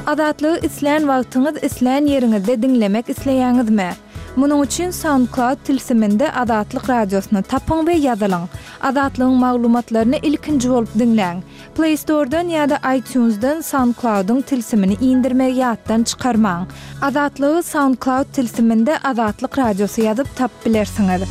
Azatlygy islän wagtyňyz, islän ýeriňizde diňlemek isleýäňizmi? Munuň üçin SoundCloud tilsiminde Azatlyk Radiosyny tapyň we ýazylyň. Azatlygyň maglumatlaryny ilkinji bolup diňläň. Play Store-dan ýa-da iTunes-dan SoundCloud-yň tilsimini indirmegi ýatdan çykarmaň. Azatlygy SoundCloud tilsiminde Azatlyk Radiosy ýazyp tapyp bilersiňiz.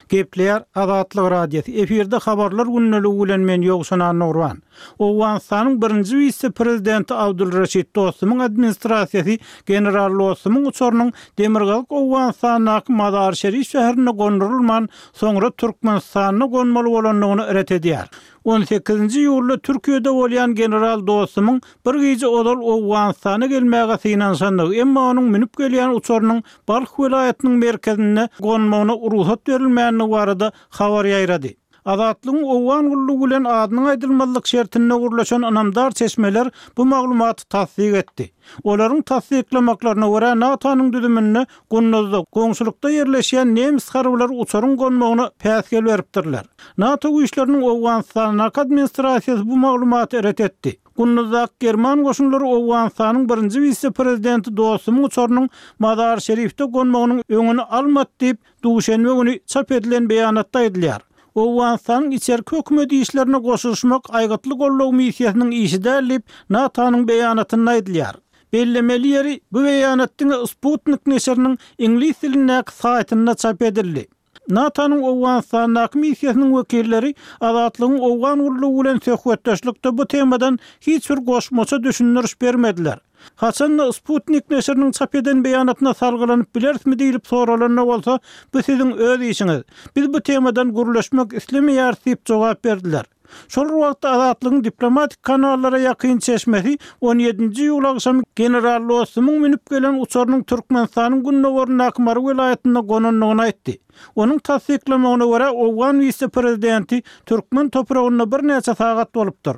Gepleýär Azatlyk Radiosy, efirde Habarlar gündeligi bilen men Ýowşan Annagurban. Owganystanyň birinji wise-prezidenti Abdul Reşit Dostumyň administrasiýasy general Dostumyň uçarynyň demirgazyk Owganystandaky Mazar-Şerif şäherinde gondurylman, soňra Türkmenistanda gonmaly bolandygyny ret edýär. On sekizinji iýulda Türkiýede bolýan general Dostumyň bir gije ozal Owganystana gelmäge synanyşandygy, emma onuň münüp gelýän uçarynyň Balh welaýatynyň merkezinde gonmagyna rugsat berilmändigi barada habar ýaýrady. Azatlygyň Owgan gullugy bilen adynyň aýdylmazlyk şertinde gürleşen ynamdar çeşmeler bu maglumaty tassyk etdi. Olaryň tassyklamaklaryna görä, NATO-nyň düzüminde Gunduzda, goňşulykda ýerleşýän nemes harbylary uçaryň gonmagyna päsgel beripdirler. NATO güýçleriniň Owganystandaky administrasiýasy bu maglumaty ret etdi. Gunduzdaky german goşunlary Owganystanyň birinji wise-prezidenti Dostumyň uçarynyň Mazar-Şerifde gonmagynyň öňüni almady diýip, Duşenbe güni çap edilen beýanatda aýdylýar. Owganystanyň içerki hökümet işlerine goşulyşmak aýgytly goldaw missiýasynyň işi däl diýip, NATO-nyň beýanatynda aýdylýar. Bellemeli ýeri, bu beýanat diňe Sputnik neşiriniň iňlis dilindäki saýtynda çap edildi. NATO-nyň Owganystandaky missiýasynyň wekilleri Azatlygyň Owgan gullugy bilen söhbetdeşlikde bu temadan hiç bir goşmaça düşündiriş bermediler. Haçan-da Sputnik neşiriniň çap eden beýanatyna salgylanyp bilerismi diýlip soralanda bolsa, bu siziň öz işiňiz. Biz bu temadan gürleşmek islemeýäris diýip jogap berdiler. Şol bir wagtda Azatlygyň diplomatik kanallara ýakyn çeşmesi on ýedinji iýul agşamy general Dostumyň münüp gelen uçarynyň Türkmenistanyň gündogaryndaky Mary welaýatynda gonandygyny aýtdy. Onuň tassyklamagyna görä, owgan wise-prezidenti türkmen topragynda birnäçe sagat bolupdyr.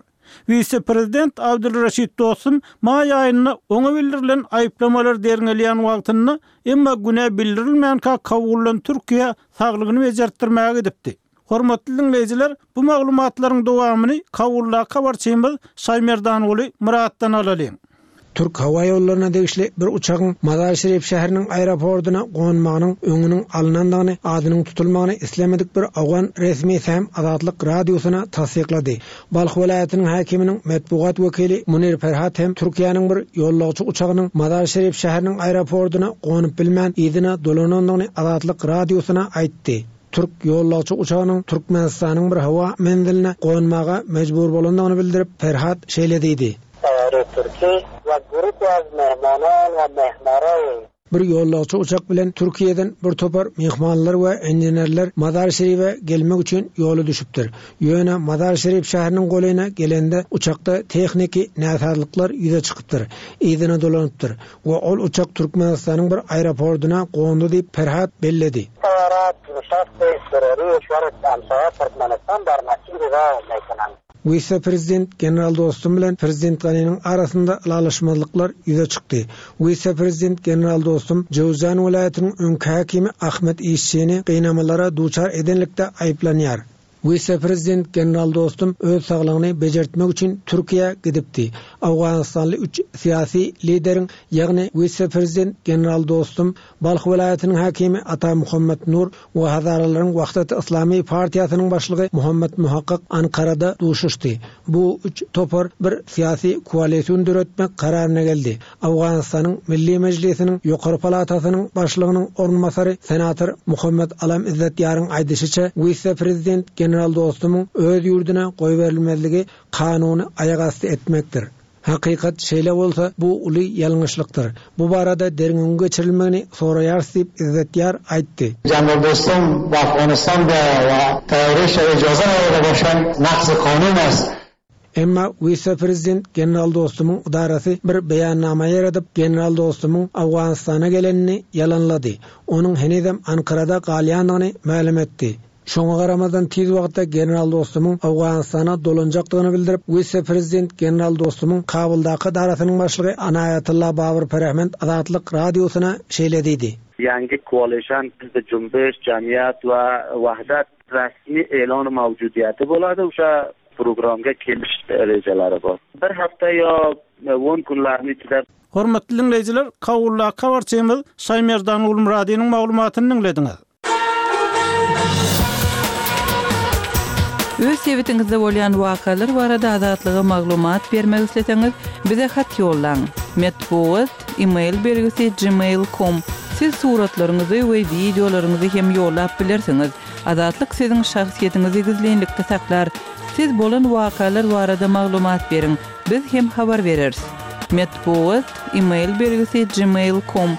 Wise-prezident Abdulreşit Dostum maý aýynda oňa bildirilen aýyplamalar derňelýän wagtynda, emma günä bildirilmänkä Kabuldan Türkiýä saglygyny bejertdirmäge gidipdi. Hormatly diňleýjiler, bu maglumatlaryň dowamyny Kabuldaky habarçymyz Şaýmerdanguly Myratdan alalyň. Türk howa ýollaryna degişli bir uçagyň Mazar-Şerif şäheriniň aeroportyna gonmagynyň öňüniň alynandygyny adynyň tutulmagyny islemedik bir owgan resmisi hem Azatlyk Radiosyna tassyklady. Balh welaýatynyň häkiminiň metbugat wekili Munir Ferhat hem Türkiýäniň bir ýolagçy uçagynyň Mazar-Şerif şäheriniň aeroportyna gonup bilmän yzyna dolanandygyny Azatlyk Radiosyna aýtdy. Türk ýolagçy uçagynyň Türkmenistanyň bir howa menziline gonmaga mejbur bolandygyny bildirip, Ferhat şeýle diýdi. Bir ýolagçy uçak bilen Türkiýeden bir topar myhmanlar we inženerler Mazar-Şerife gelmek üçin ýola düşüpdir. Ýöne Mazar-Şerif şäheriniň golaýyna gelende uçakda tehniki näsazlyklar ýüze çykypdyr, yzyna dolanypdyr we ol uçak Türkmenistanyň bir aeroportyna gondy diýip, Perhat belledi. Wise-prezident general Dostum bilen prezident Ganiniň arasynda ylalaşmazlyklar ýüze çykdy. Wise-prezident general Dostum Jöwzjan welaýatynyň öňki häkimi Ahmet Işçini gynamalara duçar edenlikde aýyplanýar. Wise-prezident general Dostum öz saglygyny bejertmek üçin Türkiýä gidipdi. Owganystanly üç syýasy lideriň, ýagny wise-prezident general Dostum, Balh welaýatynyň häkimi Ata Muhammet Nur we Hazaralaryň Wahdat Yslamy partiýasynyň başlygy Muhammet Muhakkyk Ankarada duşuşdy. Bu üç topar bir syýasy koalision döretmek kararyna geldi. Owganystanyň Milli Mejlisiniň ýokary palatasynyň başlygynyň orunbasary senator Muhammet Alam Izzet Ýaryň aýdyşyça, wise-prezident general Dostumyň öz ýurduna goýberilmezligi kanuny aýak asty etmekdir. Hakykat şeýle bolsa, bu uly ýalňyşlykdyr. Bu barada derňewiň geçirilmegini soraýarys diýip, Izzet Ýar aýtdy. General Dostum be Afghanistan بیاید و طیاره ش اجازه نداده باشند نقض قانون است. Emma wise-prezident general Dostumyň ydarasy bir beýannama ýaradyp, general Dostumyň Owganystana gelenini ýalanlady. Onuň henizem Ankarada galýandygyny mälim etdi. Şoňa garamazdan tiz wagtda general Dostumyň Owganystana dolanjakdygyny bildirip, wise-prezident general Dostumyň Kabuldaky edarasynyň başlygy Anaýatylla Babyr Perehmend Azatlyk Radiosyna şeýle diýdi. Ýangi koalişan Hizbi Jumbiş, Jamiat we Wahdat resmi elan mawjudiýati bolady oşa programga keliş rejeleri bor. Bir hafta ýa on günlerniň içinde. Hormatly diňleýjiler, Kabuldaky habarçymyz Şaýmerdan Gulmyradynyň maglumatyny diňlediňiz. Öz sebitiňizde bolýan wakalar barada Azatlyga maglumat bermek isleseňiz, bize hat ýollaň. Metbugat, e-mail belgisi gmail com. Siz suratlaryňyzy we wideolaryňyzy hem ýollap bilersiňiz. Azatlyk siziň şahsyýetiňizi gizlinlikde saklar. Siz bolan wakalar barada maglumat beriň, biz hem habar bereris. Metbugat, e-mail belgisi gmail com.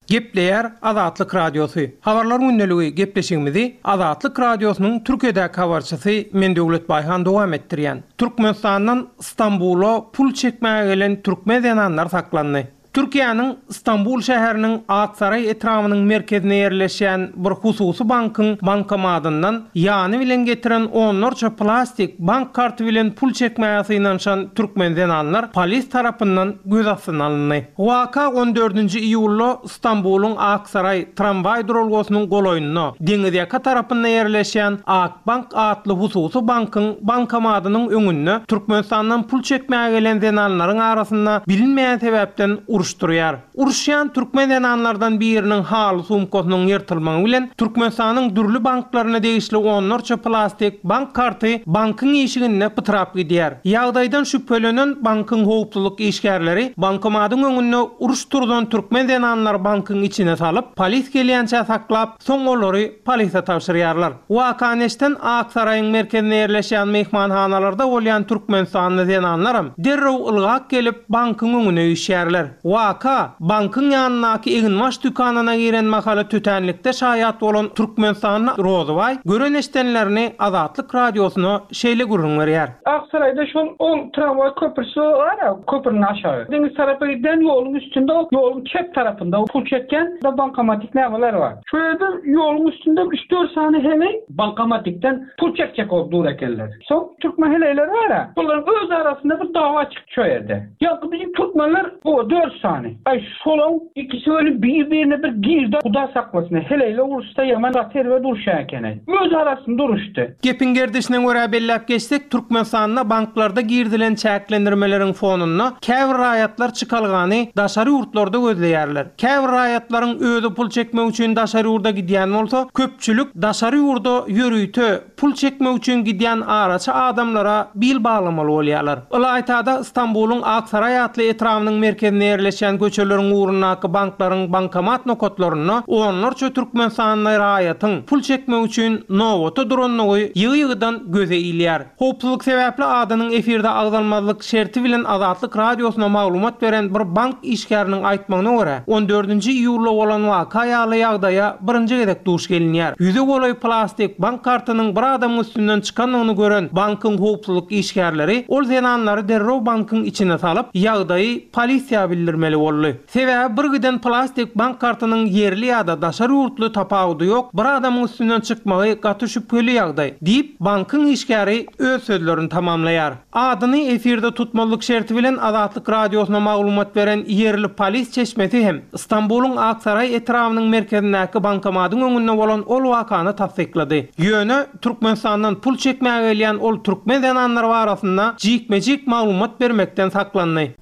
Gepleýär Azatlyk Radiosy. Habarlar gündeligi gepleşigimizi Azatlyk Radiosynyň Türkiýedäki habarçysy men Döwlet Baýhan dowam etdirýän. Türkmenistandan Stambula pul çekmäge gelen türkmen zenanlar saklandy. Türkiýäniň Stambul şäheriniň Aksaraý etrabynyň merkezinde ýerleşýän bir hususy bankyň bankomatyndan ýany bilen getiren onlarça plastik bank karty bilen pul çekmäge synanyşan türkmen zenanlar polis tarapyndan göz astyna alyndy. Waka on dördünji iýulda Stambulyň Aksaraý tramwaý duralgasynyň golaýynda, deňizýaka tarapynda ýerleşýän Akbank atly hususy bankyň bankomadynyň öňünde Türkmenistandan pul çekmäge gelen zenanlaryň arasynda bilinmeýän sebäpden uruş turýar. Uruşýan türkmen zenanlardan biriniň haly sumkasynyň ýyrtylmagy bilen Türkmenistanyň dürli banklaryna degişli onlarça plastik bank karty bankyň işiginde pytrap gidýär. Ýagdaýdan şübhelenen bankyň howpsuzlyk işgärleri bankomadyň öňünde uruş turzan türkmen zenanlary bankyň içine salyp, polis gelýänçä saklap, soň olary polise tabşyrýarlar. Wakany eşden Ak Saraýyň merkezinde ýerleşýän myhmanhanalarda bolýan türkmenistanly zenanlaram derrew ylgap gelip, bankyň öňüne üýşýärler. Waka, bankyň ýanyndaky eginbaş dükanyna giren mahaly tötänlikde şaýat bolan türkmenistanly Rozybaý gören-eşdenlerini Azatlyk Radiosyna şeýle gürrüň berýär. Aksaraýda şol ol tramwaý köprüsi bar-a, köprüniň aşagy. Deňiz tarapa gidýän ýoluň üstünde, ýoluň çep tarapynda pul çekýän bankomatik nämeler bar. Şo ýerde ýoluň üstünde üç-dört sany heleý bankomatikden pul çekjek bolup dur ekenler. Soň türkmen heleýleri bar-a, şolaryň öz arasynda bir dawa çykdy şo ýerde. Ýaňky biziň türkmenler o dört sany. Aý şolaň ikisi weli bir-birine bir girdi, Huda saklasyn, heleýler uruşsa ýaman gaty erbet uruşýan ekeni. Öz arasynda uruşdy. Gepiň gerdişine görä belläp geçsek, Türkmenistanda banklarda girizilen çäklendirmeleriň fonunda käbir raýatlar çykalgany daşary ýurtlarda gözleýärler. Käbir raýatlaryň özi pul çekmek üçin daşary ýurda gidýän bolsa, köpçülik daşary ýurda ýörite pul çekmek üçin gidýän araçy adamlara bil baglamaly bolýarlar. Ylaýta-da Stambulyň Aksaraý atly etrabynyň merkezinde ýerleşýän köçeleriň ugrundaky banklaryň bankomat nokatlarynda onlarça türkmenistanly raýatyň pul çekmek üçin nobata durandygy ýygy-ýygydan göze ilýär. Howpsuzlyk sebäpli adynyň efirde agzalmazlyk şerti bilen Azatlyk Radiosyna maglumat beren bir bank işgäriniň aýtmagyna görä, on dördünji iýulda bolan waka ýaly ýagdaýa birinji gezek duş gelinýär. Ýüze golaý plastik bank kartynyň bir adamyň üstünden çykandygyny gören bankyň howpsuzlyk işgärleri ol zenanlary derrew bankyň içine salyp, ýagdaýy polisiýa bildirmeli boldy. Sebäbi bir giden plastik bank kartynyň ýerli ýa-da daşary ýurtly tapawudy ýok, bir adamyň üstünden çykmagy gaty şübheli ýagdaý, diýip, bankyň işgäri öz sözlerini tamamlaýar. Adyny efirde tutmazlyk şerti bilen Azatlyk Radiosyna maglumat beren ýerli polis çeşmesi hem Stambulyň Aksaraý etrabynyň merkezindäki bankomatyň öňünde bolan ol wakany tassyklady. Ýöne, Türkmenistandan pul çekmäge gelýän ol türkmen zenanlary barasynda jikme-jik maglumat bermekden saklandy.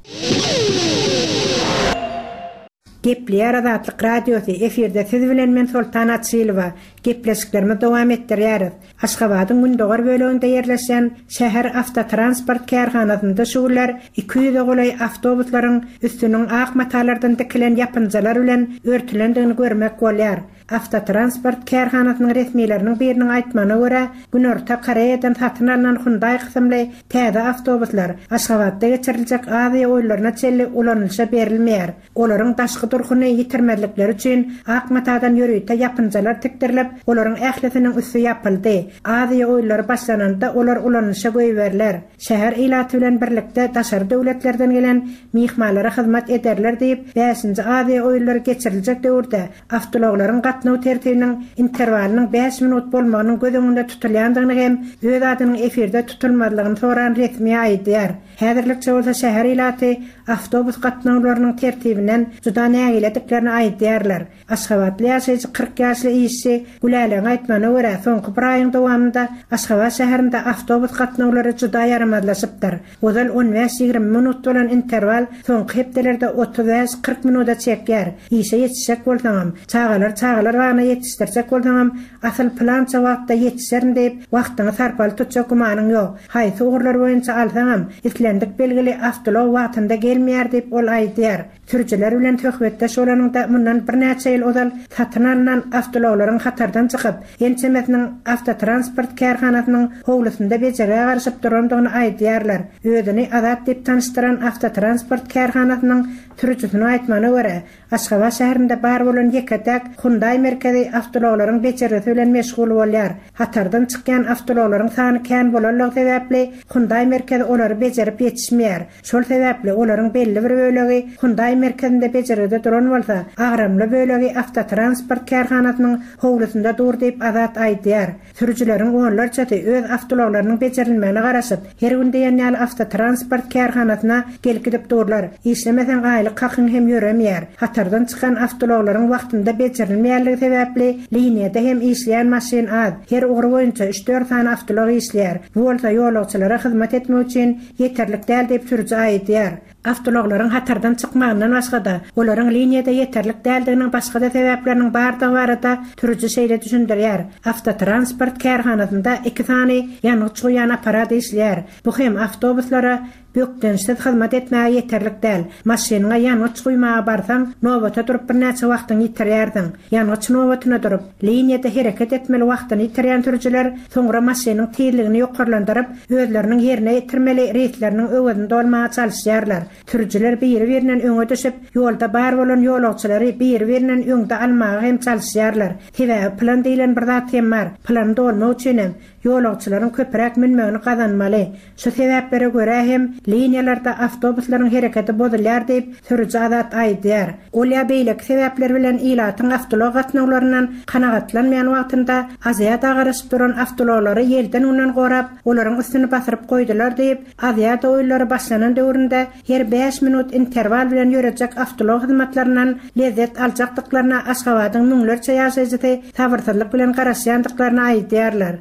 Gepleýär Azatlyk Radiosy, efirde siz bilen men Soltan Açylowa. Gepleşiklerimizi dowam etdirýäris. Aşgabadyň gündogar böleginde ýerleşýän şäher awtotransport kärhanasynda şu günler 200-e golaý awtobuslaryň üstüniň ak matalardan dikilen ýapynjalar bilen örtülendigini görmek bolýar. Awtotransport kärhanasynyň resmileriniň biriniň aýtmagyna görä, Günorta Koreýadan satyn alnan Hyundai kysymly täze awtobuslar Aşgabatda geçiriljek Aziýa oýunlaryna çenli ulanylyşa berilmeýär. Olaryň daşky durkuny ýitirmezlikleri üçin ak matadan ýörite ýapynjalar tikdirilip, olaryň ählisiniň üsti ýapyldy. Aziýa oýunlary başlananda olar ulanylyşa goýberiler. Şäher ilaty bilen birlikde daşary döwletlerden gelen myhmanlara hyzmat ederler diýip, bäşinji Aziýa oýunlary geçiriljek döwürde awtoulaglaryň gatnaşmagy. gatnaw tertibiniň interwalynyň bäş minut bolmagynyň göz öňünde tutulýandygyny hem öz adynyň efirde tutulmazlygyny soran resmi aýdýar. Häzirlikçe bolsa şäher ilaty awtobus gatnawlarynyň tertibinden juda nägilediklerini aýdýarlar. Aşgabatly ýaşaýjy 40 ýaşly işçi Gülälegiň aýtmagyna görä, soňky bir aýyň dowamynda Aşgabat şäherinde awtobus gatnawlary juda ýaramazlaşypdyr. Ozal on bäş-ýigrimi minut bolan interwal soňky hepdelerde 35-40 minuda çekýär. Işe ýetişjek bolsaňam, çagalary çagalar bagyna ýetişdirjek bolsaňam, asyl pylança wagtda ýetişerin diýip, wagtyňy sarpaly tutjak gümanyň ýok. Haýsy ugurlar boýunça alsaňam, islendik belgili awtoulag wagtynda gelmeýär diýip, ol aýdýar. Sürüjiler bilen söhbetdeş bolanyňda mundan birnäçe ýyl ozal satyn alnan awtoulaglaryň hatardan çykyp, ençemesiniň awtotransport kärhanasynyň howlusynda bejergä garaşyp durandygyny aýdýarlar. Özüni Azat diýip tanyşdyran awtotransport kärhanasynyň sürüjisiniň aýtmagyna görä, Aşgabat şäherinde bar bolan ýeke-täk Hyundai merkezi awtoulaglaryň bejergisi bilen meşgul bolýar. Hatardan çykýan awtoulaglaryň sany kän bolanlygy sebäpli, Hyundai merkezi olary bejerip ýetişmeýär. Şol sebäpli olaryň belli bir bölegi Hyundai merkezinde bejergide duran bolsa, agramly bölegi awtotransport kärhanasynyň howlusynda dur diýip, Azat aýdýar. Sürüjileriň onlarçasy öz awtoulaglarynyň bejerilmegine garaşyp, her gün diýen ýaly awtotransport kärhanasyna gelip-gidip durlar. Işlemeseň aýlyk hakyň hem ýöremeýär. Hatardan çykan awtoulaglaryň wagtynda bejerilmeýänligi sebäpli liniýada hem işleýän maşyn az, her ugur boýunça üç-dört sany awtoulag işleýär. Bu bolsa ýolagçylara hyzmat etmek üçin ýeterlik däl diýip sürüji aýdýar. Awtoulaglaryň hatardan çykmagyndan başga-da, olaryň liniýada ýeterlik däldiginiň başga-da sebäpleriniň bardygy barada sürüji şeýle düşündirýär, Awtotransport kärhanasynda iki sany ýangyç guýýan apparat işleýär. Bu hem awtobuslara bökdençsiz hyzmat etmäge ýeterlik däl. Maşynyňa ýangyç guýmaga barsaň, nobata durup birnäçe wagtyňy ýitirýärsiň. Ýangyç nobatyna durup, liniýada hereket etmeli wagtyny ýitirýän sürüjiler soňra maşynyň tizligini ýokarlandyryp, özleriniň ýerine ýetirmeli reýsleriniň öwezini dolmaga çalyşýarlar. Sürüjiler biri-birinden öňe düşüp, ýolda bar bolan ýolagçylary biri-birinden öňde almaga hem çalyşýarlar. Sebäbi plan diýlen bir zat hem bar. Plany dolmak üçin hem, ýolagçylaryň köpräk münmegini gazanmaly. Şu sebäplere görä hem liniýalarda awtobuslaryň hereketi bozulýar diýip, sürüji Azat aýdýar. Ol ýa beýleki sebäpler bilen ilatyň awtoulag gatnawlaryndan kanagatlanmaýan wagtynda Aziada garaşyp duran awtoulaglary ýelden-günden gorap, olaryň üstüni basyryp goýdular diýip, Aziada oýunlary başlanan döwründe her bäş minut interwal bilen ýörejek awtoulag hyzmatlaryndan lezzet aljakdyklaryna Aşgabadyň müňlerçe ýaşaýjysy sabyrsyzlyk bilen garaşýandyklaryny aýdýarlar.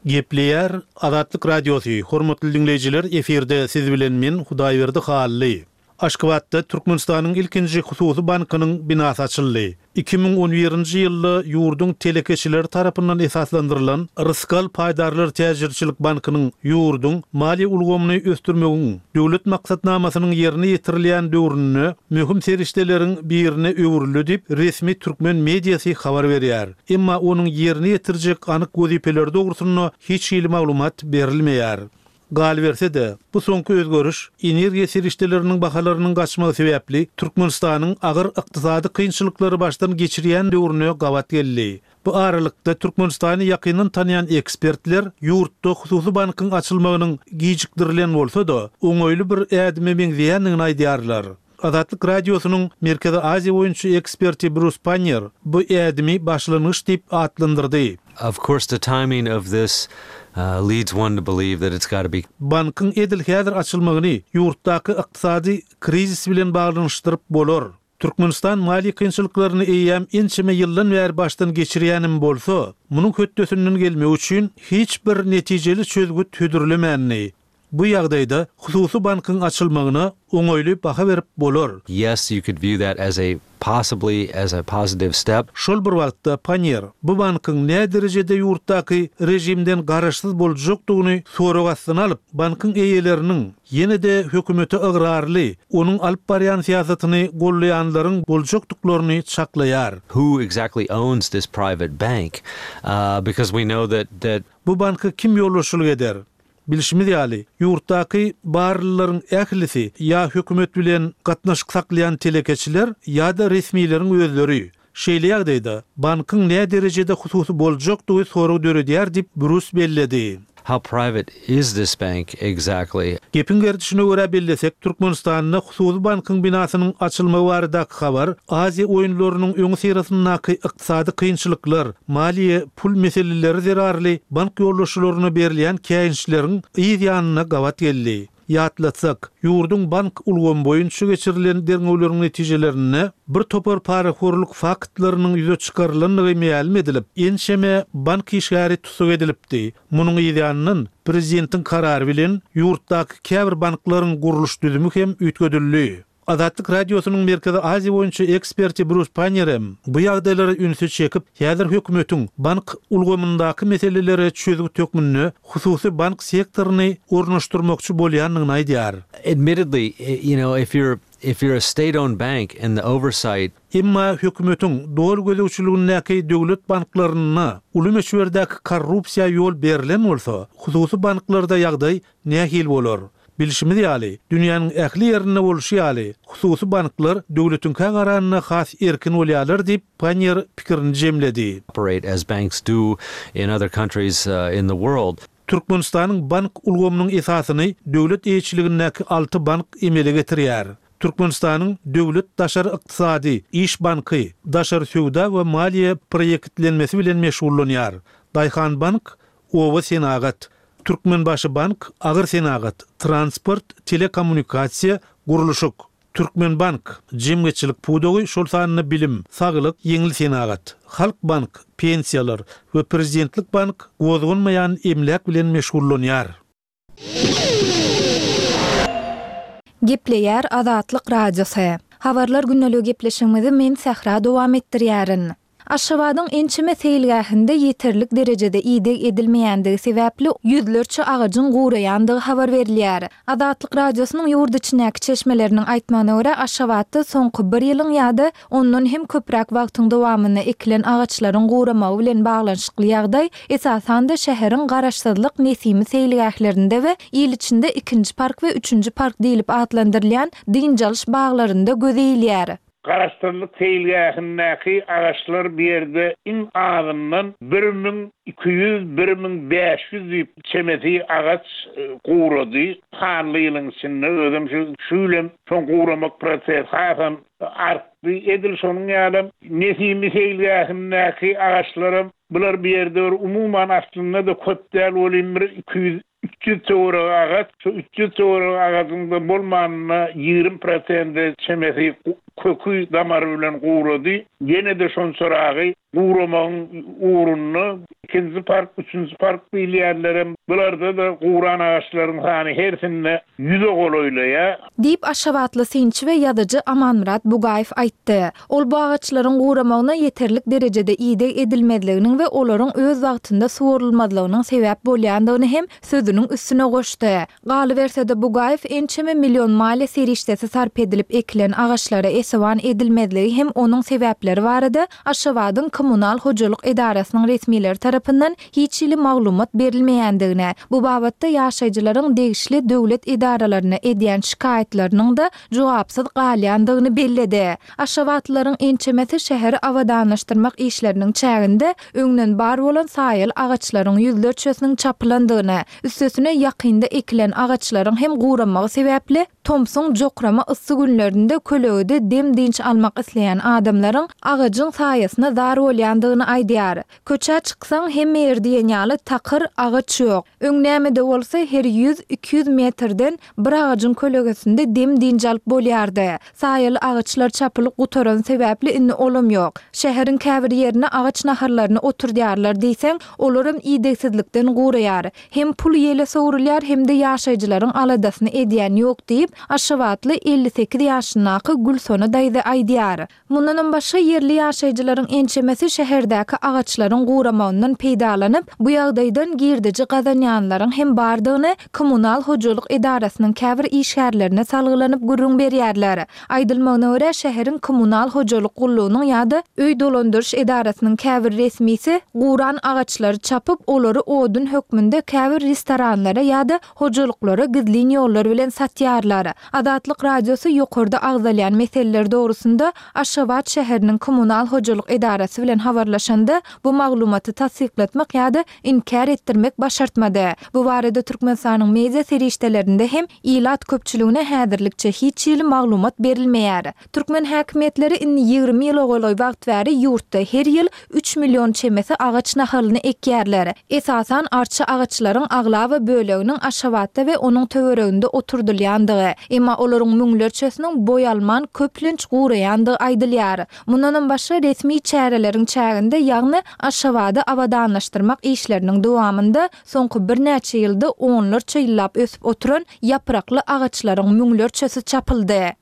Gepleýär Azatlyk Radiosy, Hormatly diňleýjiler, efirde siz bilen men, Hudaýberdi Hally. Aşgabatda Türkmenistanyň ilkinji hususy bankynyň binasy açyldy. 2011-nji ýylda ýurduň telekeçileri tarapyndan esaslandyrylan Rysgal paýdarlar täjirçilik bankynyň ýurduň maliýe ulgamyny ösdürmegiň döwlet maksatnamasynyň ýerine ýetirilýän döwründe möhüm serişdeleriň birine öwrüldi diýip, resmi türkmen mediasy habar berýär. Emma onuň ýerine ýetirjek anyk wezipeleri dogrusynda hiç hili maglumat berilmeýär. Galyberse-de, bu soňky özgeriş energiýa serişdeleriniň bahalarynyň gaçmagy sebäpli Türkmenistanyň agyr ykdysady kynçylyklary başdan geçirýän döwrüne gabat geldi. Bu aralykda, Türkmenistany ýakyndan tanýan ekspertler ýurtda hususy bankyň açylmagynyň gijikdirilen bolsa-da, oňaýly bir ädime meňzeýändigini aýdýarlar. Azatlyk Radiosynyň Merkezi Aziýa boýunça eksperti Brus Pannier bu ädimi başlangyç diýip atlandyrdy. Of course the timing of this leads one to believe that it's gotta be. Bankyň edil häzir açylmagyny ýurtdaky ykdysady krizis bilen baglanyşdyryp bolar. Türkmenistan maliýe kynçylyklaryny eýýäm ençeme ýyldan bäri başdan geçirýänem bolsa, munuň hötdesinden gelmek üçin hiç bir netijeli çözgüt hödürlemändi. Bu ýagdaýda hususy bankyň açylmagyna oňaýly baha berip bolar. Yes, you could view that as a possibly as a positive step. Şol bir wagtda Pannier bu bankyň näderejede ýurtdaky režimden garaşsyz boljakdygyny sorag astyna alyp, bankyň eýeleriniň ýene-de hökümete ygrarly, onuň alyp barýan syýasatyny goldaýanlaryň boljakdyklaryny çaklaýar. Who exactly owns this private bank? Because we know that that. Bu banka kim ýolbaşçylyk eder? Bilşimiz ýaly, ýurtdaky barlylaryň ählisi ýa hökümet bilen gatnaşyk saklaýan telekeçiler ýa-da resmileriň özleri. Şeýle ýagdaýda, bankyň näderejede hususy boljakdygy sorag döredýär diýip, Brus belledi. How private is this bank exactly? Gepiň gerdişine görä bellesek, Türkmenistanda hususy bankyň binasynyň açylmagy baradaky habar Aziýa oýunlarynyň öňüsyrasyndaky ykdysady kynçylyklar, maliýe, pul meseleleri zerarly bank ýolbaşçylaryna berilýän käýinçleriň yz ýanyna gabat geldi. Ýatlatsak, ýurduň bank ulgamy boýunça geçirilen derňewleriň netijelerinde bir topar parahorluk faktlarynyň ýüze çykarylandygy mälim edilip, ençeme bank işgäri tussag edilipdi. Munuň yz ýanyndan, prezidentiň karary bilen ýurtdaky käbir banklaryň gurluş düzümi hem üýtgedildi. Azatlyk Radiosynyň Merkezi Aziýa boýunça eksperti Brus Pannier hem bu ýagdaýlara ünsi çekip, häzir hökümetiň bank ulgamyndaky meselelere çözgüt hökmünde hususy bank sektoryny ornaşdyrmakçy bolýandygyny aýdýar. Admittedly, you know, if you're if you're a state-owned bank and the oversight Emma hökümetiň doly gözegçiligindäki döwlet banklarynda uly möçberdäki korrupsiýa ýol berlen bolsa, hususy banklarda ýagdaý nähili bolar? Bilşimiz ýaly, dünýäniň ähli ýerinde bolşy ýaly, hususy banklar döwletiňkä garanda has erkin bolýarlar diýip, Pannier pikirini jemledi. operate as banks do in other countries in the world. Türkmenistanyň bank ulgamynyň esasyny döwlet eýeçiligindäki alty bank emele getirýär. Türkmenistanyň Döwlet daşary ykdysady iş banky daşary söwda we maliýe proýektlenmesi bilen meşgullanýar. Daýhanbank oba senagat, Türkmenbaşybank agyr senagat, transport, telekommunikasiýa, gurluşyk, Türkmenbank, jemgyýetçilik pudagy, şol sanda bilim, saglyk, ýeňil senagat, Halkbank, pensiýalar we Prezidentlik bank gozganmaýan emläk bilen meşgullanýar. Gepleýär Azatlyk Radiosy. Habarlar gündeligi gepleşigimizi men Sähra dowam etdirýärin. Aşgabadyň ençeme seýilgähinde ýeterlik derejede ideg edilmeýändigi sebäpli ýüzlerçe agajyň guraýandygy habar berilýär. Azatlyk Radiosynyň ýurt içindäki çeşmeleriniň aýtmagyna görä, Aşgabatda soňky bir ýylyň ýa-da ondan hem köpräk wagtyň dowamynda ekilen agaçlaryň guramagy bilen baglanyşykly ýagdaý, esasan-da, şäheriň Garaşsyzlyk, Nesimi seýilgählerinde we il içinde ikinji park we üçünji park diýlip atlandyrylýan dynç alyş baglarynda göze ilýär. Garaşsyzlyk seýilgähindäki agaçlar bu ýerde iň azyndan 1200, 1500 düýp çemesi agaç gurady sanly ýylyň içinde. Özem şu şu ýyl hem şoň guramak prosesi hasam artdy. Edil şonuň ýalam Nesimi seýilgähindäki agaçlaram bular bu ýerde bir umuman aslynda-da köp däl welin bir 200 300 töweregi agaç, şu 300 töweregi agajyň-da bolmanynda 20 prosente çemesi köki damary bilen gurady. Ýene-de şonçaragy guramagyň ugrunda ikinji park, üçünji park diýilýänlerem, bularda-da guran agaçlaryň sany hersinde ýüze golaýlaýar. Diýip, aşgabatly synçy we ýazyjy Amanmyrat Bugaýew aýtdy. Ol bu agaçlaryň guramagyna ýeterlik derejede ideg edilmezliginiň we olaryň öz wagtynda suwarylmazlygynyň sebäp bolýandygyny hem sözüniň üstüne goşdy. Galyberse-de, Bugaýew ençeme million maliýe serişdesi sarp edilip ekilen agaçlara esewan edilmezligi hem onuň sebäpleri barada Aşgabadyň kommunal hojalyk edarasynyň resmileri tarapyndan hiç hili maglumat berilmeýändigini, bu babatda ýaşaýjylaryň degişli döwlet edaralaryna edýän şikaýatlarynyň-da jogapsyz galýandygyny belledi. Aşgabatlylaryň ençemesi şäheri abadanlaşdyrmak işleriniň çäginde öňden bar bolan saýaly agaçlaryň ýüzlerçesiniň çapylandygyny, üstesine ýakynda ekilen agaçlaryň hem guramagy sebäpli tomsuň jokrama yssy günlerinde kölegede dem-dynç almak isleýän adamlaryň agajyň saýasyna zar bolýandygyny aýdýar. Köçä çyksaň, hemme ýer diýen ýaly takyr, agaç ýok. Öň näme-de bolsa, her ýüz, 200 metrden bir agajyň kölegesinde dem-dynç alyp bolýardy. Saýaly agaçlar çapylyp gutarany sebäpli indi olam ýok. Şäheriň käbir ýerine agaç nahallaryny oturdýarlar diýseň, olaram idegsizlikden guraýar. Hem pul ýele sowrulýar, hem-de ýaşaýjylaryň aladasyny edýän ýok diýip, aşgabatly 58 ýaşyndaky Gülsona daýza aýdýar. Mundanam başga, ýerli ýaşaýjylaryň ençemesi şäherdäki agaçlaryň guramagyndan peýdalanyp, bu ýagdaýdan girdeji gazanýanlaryň hem bardygyny kommunal hojalyk edarasynyň käbir işgärlerine salgylanyp gürrüň berýärler. Aýdylmagyna görä, şäheriň kommunal hojalyk gullugynyň ýa-da öý dolandyryş edarasynyň käbir resmisi guran agaçlary çapyp, olary odun hökmünde käbir restoranlara. restoranlara ýa-da hojalyklara gizlin ýollar bilen satýarlar. Azatlyk Radiosy ýokarda agzalýan meseleler dogrusynda Aşgabat şäheriniň kommunal hojalyk edarasy bilen habarlaşanda, bu maglumaty tassyklatmak ýa-da inkär etdirmek başartmady. Bu barada Türkmenistanyň media serişdelerinde hem ilat köpçüligine häzirlikçe hiç hili maglumat berilmeýär. Türkmen häkimiýetleri indi 20 ýyla golaý wagt bäri ýurtda her ýyl üç million çemesi agaç nahalyny ekýärler. Esasan arça agaçlaryň aglaba böleginiň Aşgabatda we onuň töwereginde oturdylýandygy, emma olaryň müňlerçesiniň boý alman köplenç guraýandygy aýdylýar. Mundanam başga resmi çäreleriň çäginde, ýagny Aşgabady abadanlaşdyrmak işleriniň dowamynda soňky birnäçe ýylda onlarça ýyllap ösüp oturan ýaprakly agaçlaryň müňlerçesi çapyldy.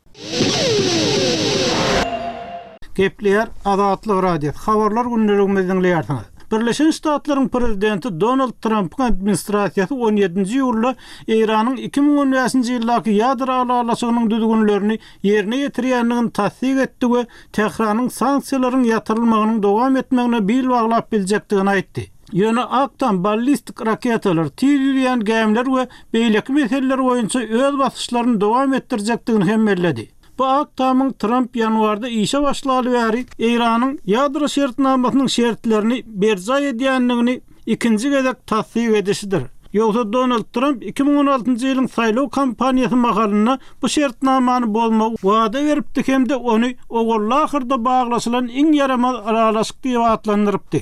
Gepleýär Azatlyk Radiosy, Habarlar gündeligimizi diňleýärsiňiz. Birleşen Ştatlaryň prezidenti Donald Trampyň administrasiýasy on ýedinji iýulda Eýranyň 2015-nji ýyldaky ýadro ylalaşygynyň düzgünlerini ýerine ýetirýändigini tassyk etdi we Tähranyň sanksiýalaryň ýatyrylmagynyň dowam etmegine bil baglap biljekdigini aýtdy. Ýöne Ak Tam ballistik raketalar, tiz ýüzýän gämiler we beýleki meseleler boýunça öz basyşlaryny dowam etdirjekdigini hem belledi. Bu Ak Tamyň Tramp ýanwarda işe başlaly bäri Eýranyň ýadro şertnamasynyň şertlerini berjaý edýändigini ikinji gezek tassyk edişidir. Ýogsa Donald Tramp 2016-njy ýylyň saýlaw kampaniýasy mahalynda bu şertnamany bozmagy wada beripdi hem-de ony ogully-ahyrda baglaşylan iň ýaramaz ylalaşyk diýip atlandyrypdy.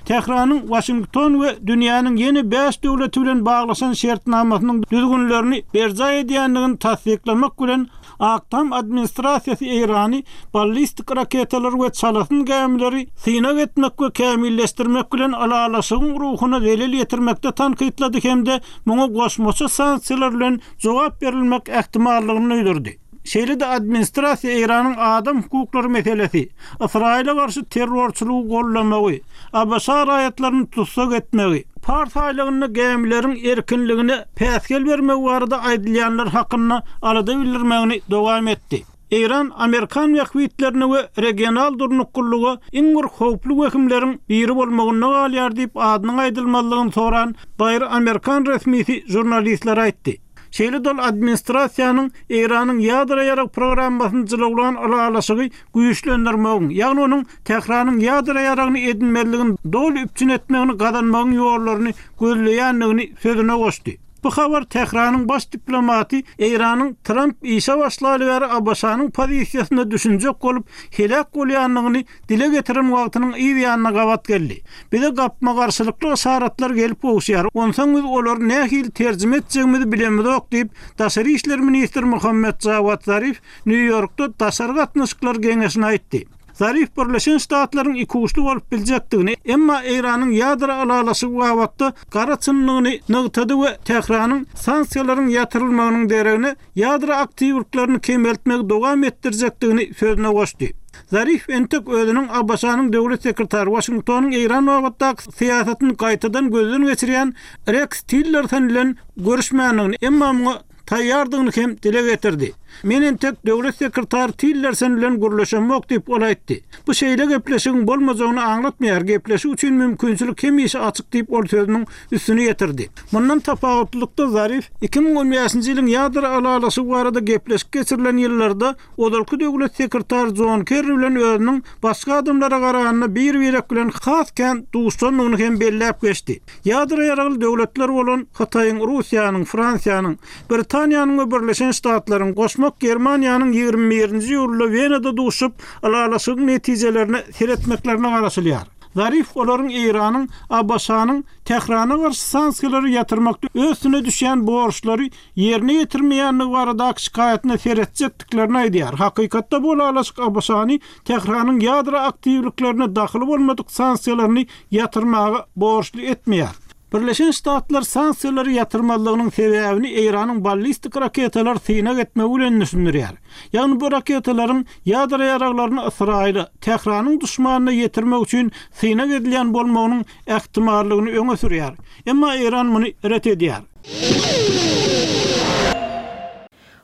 Tähranyň Waşington we dünýäniň ýene bäş döwleti bilen baglaşan şertnamasynyň düzgünlerini berjaý edýändigini tassyklamak bilen, Ak Tam administrasiýasy Eýrany ballistik raketalar we çalasyn gämileri synag etmek we kämilleşdirmek bilen ylalaşygyň ruhuna zelel ýetirmekde tankytlady hem-de muňa goşmaça sanksiýalar bilen jogap berilmek ähtimallygyny duýdurdy. Şeýle-de administrasiýa Eýranyň adam hukuklary meselesi, Ysraýyla garşy terrorçylygy goldamagy, ABŞ raýatlaryny tussag etmegi, Pars aýlagynda gämileriň erkinligine päsgel bermegi barada aýdylýanlar hakynda alada bildirmegini dowam etdi. Eýran amerikan bähbitlerine we regional durnuklylyga iň bir howply wehimleriň biri bolmagynda galýar diýip adynyň aýdylmazlygyny soran baýry amerikan resmisi žurnalistlere aýtdy. Şeýle-de ol administrasiýanyň Eýranyň ýadro ýarag programmasyny jylawlan ylalaşygy güýçlendirmegiň, ýagny onuň Tähranyň ýadro ýaragyny edinmezligini doly üpjün etmegini gazanmagyň ýollaryny gözleýändigini sözüne goşdy. Bu habar Tähranyň baş diplomaty Eýranyň Tramp işe başlaly bäri ABŞ-nyň pozisiýasyna düşünjek bolup heläk bolýandygyny dile getiren wagtynyň yz ýanyna gabat geldi. Bize gapma-garşylykly yşaratlar gelip gowuşýar, onsoň biz olary nähili terjime etjegimizi bilemizok diýip, daşary işler ministri Mohammed Jawad Zarif Nýu-Ýorkda Daşary gatnaşyklar geňeşine aýtdy. Zarif Birleşen Ştatlaryň ikuçly bolup biljekdigini, emma Eýranyň ýadro ylalaşygy babatda gara çyndygyny nygtady we Tähranyň sanksiýalaryň ýatyrylmagynyň deregine ýadro aktiwliklerini kemeltmegi dowam etdirjekdigini sözüne goşdy. Zarif entek özüniň ABŞ-nyň döwlet sekretary Waşingtonyň Eýran babatdaky syýasatyny gaýtadan gözden geçirýän Reks Tillerson bilen görüşmändigini, emma muňa taýýardygyny hem dile getirdi. Men entek döwlet sekretary Tillerson bilen gürleşemok diýip, ol aýtdy. Bu şeýle gepleşigiň bolmajagyny aňlatmaýar, gepleşik üçin mümkinçilik hemişe açyk diýip, ol sözüniň üstüni ýetirdi. Mundan tapawutlylykda Zarif 2015-nji ýylyň ýadro ylalaşygy barada gepleşik geçirilen ýyllarda ozalky döwlet sekretary Jon Kerri bilen özüniň başga adamlara garanda bir-birek bilen has kän duşandygyny hem belläp geçdi. Ýadro ýaragly döwletler bolan Hytaýyň, Russiýanyň, Fransiýanyň, Britaniýanyň we Birleşen Ştatlaryň, goşmak Germaniýanyň 21-nji iýulda Wenada duşup, ylalaşygyň netijelerine seretmeklerine garaşylýar. Zarif olaryň Eýranyň ABŞ-nyň Tährana garşy sanksiýalary ýatyrmakda öz üstüne düşýän borçlary ýerine ýetirmeýändigi baradaky şikaýatyna seretjekdiklerini aýdýar. Hakykatda bu ylalaşyk ABŞ-ny Tähranyň ýadro aktiwliklerine dahyly bolmadyk sanksiýalaryny ýatyrmaga borçly etmeýär. Birleşen Ştatlar sanksiýalary ýatyrmazlygynyň sebäbini Eýranyň ballistik raketalary synag etmegi bilen düşündirýär. Ýagny bu raketalaryň ýadro ýaraglaryny Ysraýyla, Tähranyň duşmanyna ýetirmek üçin synag edilýän bolmagynyň ähtimallygyny öňe sürýär. Emma Eýran muny ret edýär.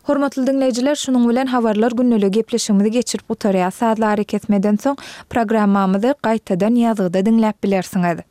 Hormatly diňleýjiler, şunuň bilen Habarlar gündeligi gepleşigimizi geçirip gutarýas. Sazly arakesmeden soň programmamyzy gaýtadan ýazgyda diňläp bilersiňiz.